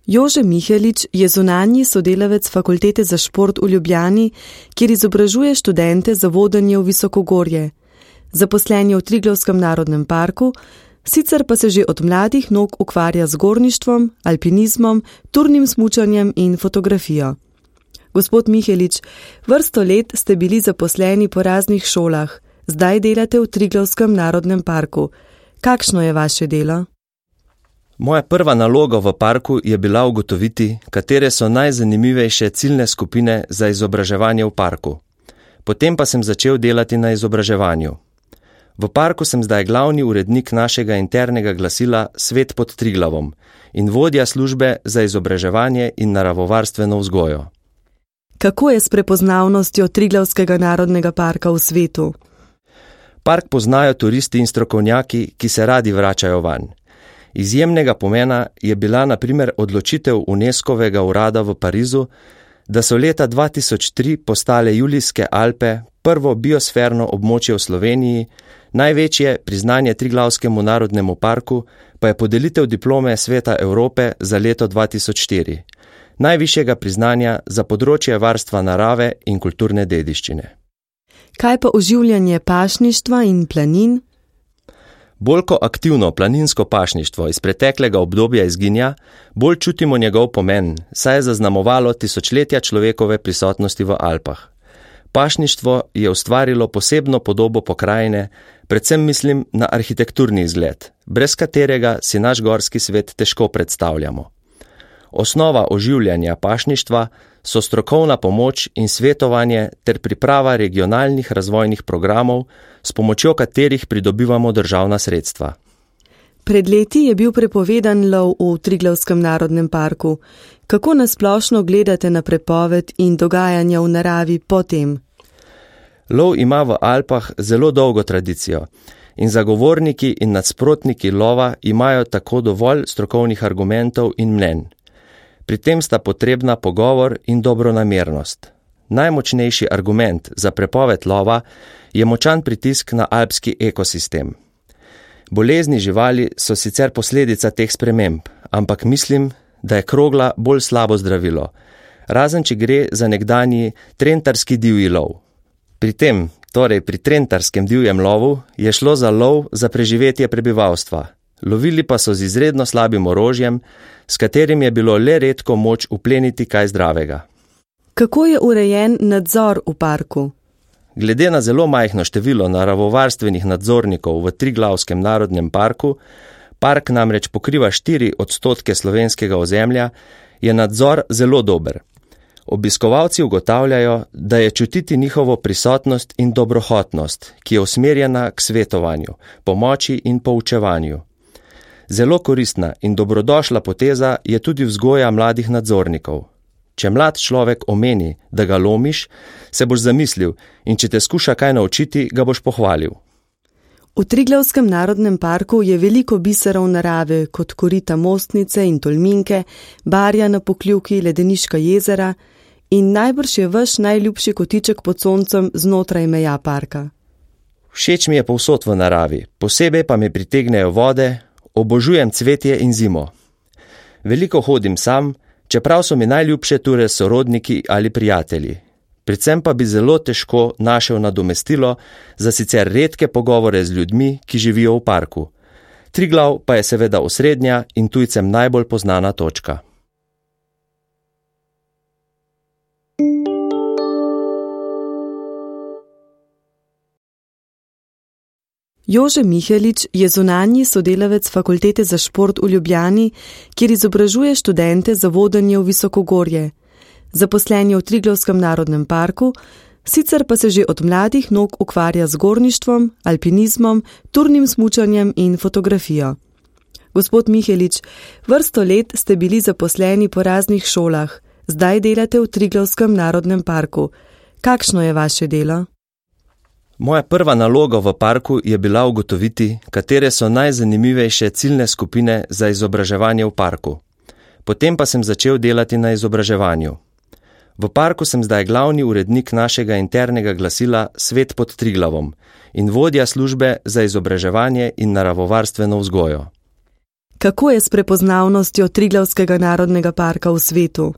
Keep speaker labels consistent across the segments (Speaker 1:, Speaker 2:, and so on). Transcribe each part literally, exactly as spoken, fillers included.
Speaker 1: Jože Mihelič je zunanji sodelavec Fakultete za šport v Ljubljani, kjer izobražuje študente za vodenje v visokogorje. Zaposlen je v Triglavskem narodnem parku, sicer pa se že od mladih nog ukvarja z gorništvom, alpinizmom, turnim smučanjem in fotografijo. Gospod Mihelič, vrsto let ste bili zaposleni po raznih šolah, zdaj delate v Triglavskem narodnem parku. Kakšno je vaše delo?
Speaker 2: Moja prva naloga v parku je bila ugotoviti, katere so najzanimivejše ciljne skupine za izobraževanje v parku. Potem pa sem začel delati na izobraževanju. V parku sem zdaj glavni urednik našega internega glasila Svet pod Triglavom in vodja službe za izobraževanje in naravovarstveno vzgojo.
Speaker 1: Kako je s prepoznavnostjo Triglavskega narodnega parka v svetu?
Speaker 2: Park poznajo turisti in strokovnjaki, ki se radi vračajo vanj. Izjemnega pomena je bila na primer odločitev UNESCO-vega urada v Parizu, da so leta dva tisoč tri postale Julijske Alpe prvo biosferno območje v Sloveniji, največje priznanje Triglavskemu narodnemu parku pa je podelitev diplome Sveta Evrope za leto dva tisoč štiri, najvišjega priznanja za področje varstva narave in kulturne dediščine.
Speaker 1: Kaj pa oživljanje pašništva in planin?
Speaker 2: Bolj ko aktivno planinsko pašništvo iz preteklega obdobja izginja, bolj čutimo njegov pomen, saj je zaznamovalo tisočletja človekove prisotnosti v Alpah. Pašništvo je ustvarilo posebno podobo pokrajine, predvsem mislim na arhitekturni izgled, brez katerega si naš gorski svet težko predstavljamo. Osnova oživljanja pašništva so strokovna pomoč in svetovanje ter priprava regionalnih razvojnih programov, s pomočjo katerih pridobivamo državna sredstva.
Speaker 1: Pred leti je bil prepovedan lov v Triglavskem narodnem parku. Kako nasplošno gledate na prepoved in dogajanja v naravi potem?
Speaker 2: Lov ima v Alpah zelo dolgo tradicijo in zagovorniki in nasprotniki lova imajo tako dovolj strokovnih argumentov in mnenj. Pri tem sta potrebna pogovor in dobronamernost. Najmočnejši argument za prepoved lova je močan pritisk na alpski ekosistem. Bolezni živali so sicer posledica teh sprememb, ampak mislim, da je krogla bolj slabo zdravilo, razen če gre za nekdanji trentarski divji lov. Pri tem, torej pri trentarskem divjem lovu, je šlo za lov za preživetje prebivalstva. Lovili pa so z izredno slabim orožjem, s katerim je bilo le redko moč upleniti kaj zdravega.
Speaker 1: Kako je urejen nadzor v parku?
Speaker 2: Glede na zelo majhno število naravovarstvenih nadzornikov v Triglavskem narodnem parku, park namreč pokriva štiri odstotke slovenskega ozemlja, je nadzor zelo dober. Obiskovalci ugotavljajo, da je čutiti njihovo prisotnost in dobrohotnost, ki je usmerjena k svetovanju, pomoči in poučevanju. Zelo koristna in dobrodošla poteza je tudi vzgoja mladih nadzornikov. Če mlad človek omeni, da ga lomiš, se boš zamislil in če te skuša kaj naučiti, ga boš pohvalil.
Speaker 1: V Triglavskem narodnem parku je veliko biserov narave, kot korita Mostnice in Tolminke, Barja na Pokljuki, Ledeniška jezera in najbrž je vaš najljubši kotiček pod soncem znotraj meja parka.
Speaker 2: Všeč mi je povsod v naravi, posebej pa me pritegnejo vode, obožujem cvetje in zimo. Veliko hodim sam, čeprav so mi najljubše ture sorodniki ali prijatelji. Predvsem pa bi zelo težko našel nadomestilo za sicer redke pogovore z ljudmi, ki živijo v parku. Triglav pa je seveda osrednja in tujcem najbolj poznana točka.
Speaker 1: Jože Mihelič je zunanji sodelavec Fakultete za šport v Ljubljani, kjer izobražuje študente za vodenje v visokogorje. Zaposlen je v Triglavskem narodnem parku, sicer pa se že od mladih nog ukvarja z gorništvom, alpinizmom, turnim smučanjem in fotografijo. Gospod Mihelič, vrsto let ste bili zaposleni po raznih šolah, zdaj delate v Triglavskem narodnem parku. Kakšno je vaše delo?
Speaker 2: Moja prva naloga v parku je bila ugotoviti, katere so najzanimivejše ciljne skupine za izobraževanje v parku. Potem pa sem začel delati na izobraževanju. V parku sem zdaj glavni urednik našega internega glasila Svet pod Triglavom in vodja službe za izobraževanje in naravovarstveno vzgojo.
Speaker 1: Kako je s prepoznavnostjo Triglavskega narodnega parka v svetu?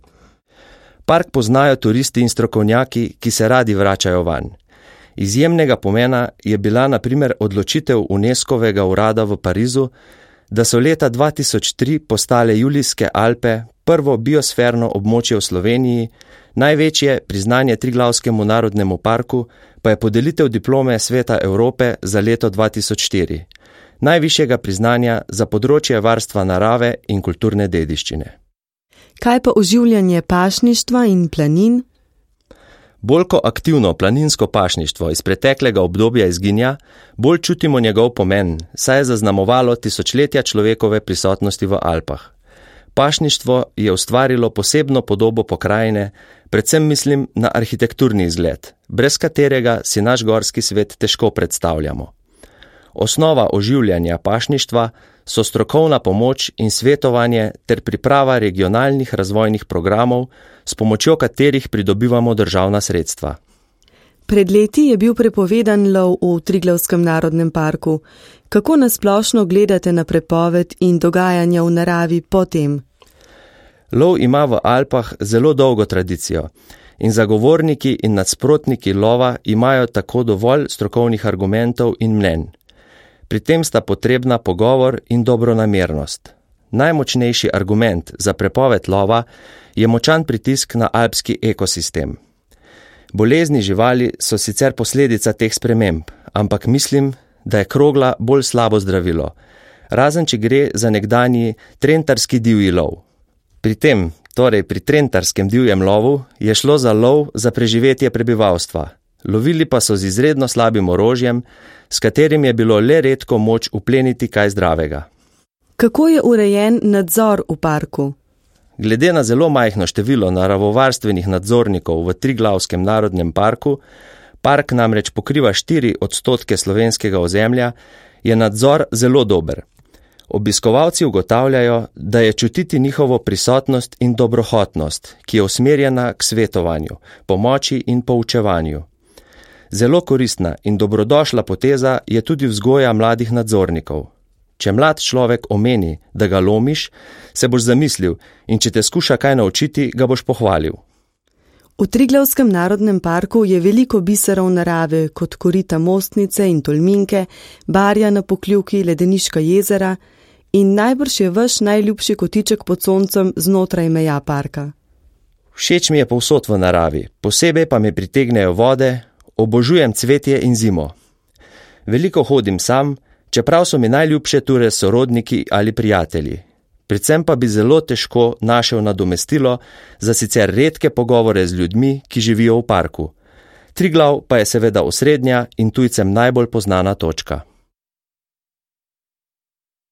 Speaker 2: Park poznajo turisti in strokovnjaki, ki se radi vračajo vanj. Izjemnega pomena je bila na primer odločitev UNESCO-vega urada v Parizu, da so leta dva tisoč tri postale Julijske Alpe prvo biosferno območje v Sloveniji, največje priznanje Triglavskemu narodnemu parku pa je podelitev diplome Sveta Evrope za leto dva tisoč štiri, najvišjega priznanja za področje varstva narave in kulturne dediščine.
Speaker 1: Kaj pa oživljanje pašništva in planin?
Speaker 2: Bolj ko aktivno planinsko pašništvo iz preteklega obdobja izginja, bolj čutimo njegov pomen, saj je zaznamovalo tisočletja človekove prisotnosti v Alpah. Pašništvo je ustvarilo posebno podobo pokrajine, predvsem mislim na arhitekturni izgled, brez katerega si naš gorski svet težko predstavljamo. Osnova oživljanja pašništva so strokovna pomoč in svetovanje ter priprava regionalnih razvojnih programov, s pomočjo katerih pridobivamo državna sredstva.
Speaker 1: Pred leti je bil prepovedan lov v Triglavskem narodnem parku. Kako nasplošno gledate na prepoved in dogajanja v naravi potem?
Speaker 2: Lov ima v Alpah zelo dolgo tradicijo in zagovorniki in nasprotniki lova imajo tako dovolj strokovnih argumentov in mnenj. Pri tem sta potrebna pogovor in dobronamernost. Najmočnejši argument za prepoved lova je močan pritisk na alpski ekosistem. Bolezni živali so sicer posledica teh sprememb, ampak mislim, da je krogla bolj slabo zdravilo, razen če gre za nekdanji trentarski divji lov. Pri tem, torej pri trentarskem divjem lovu, je šlo za lov za preživetje prebivalstva. Lovili pa so z izredno slabim orožjem, s katerim je bilo le redko moč upleniti kaj zdravega.
Speaker 1: Kako je urejen nadzor v parku?
Speaker 2: Glede na zelo majhno število naravovarstvenih nadzornikov v Triglavskem narodnem parku, park namreč pokriva štiri odstotke slovenskega ozemlja, je nadzor zelo dober. Obiskovalci ugotavljajo, da je čutiti njihovo prisotnost in dobrohotnost, ki je usmerjena k svetovanju, pomoči in poučevanju. Zelo koristna in dobrodošla poteza je tudi vzgoja mladih nadzornikov. Če mlad človek omeni, da ga lomiš, se boš zamislil in če te skuša kaj naučiti, ga boš pohvalil.
Speaker 1: V Triglavskem narodnem parku je veliko biserov narave, kot korita Mostnice in Tolminke, Barja na Pokljuki, Ledeniška jezera in najbrž je vaš najljubši kotiček pod soncem znotraj meja parka.
Speaker 2: Všeč mi je povsod v naravi, posebej pa me pritegnejo vode, obožujem cvetje in zimo. Veliko hodim sam, čeprav so mi najljubše ture sorodniki ali prijatelji. Predvsem pa bi zelo težko našel nadomestilo za sicer redke pogovore z ljudmi, ki živijo v parku. Triglav pa je seveda osrednja in tujcem najbolj poznana točka.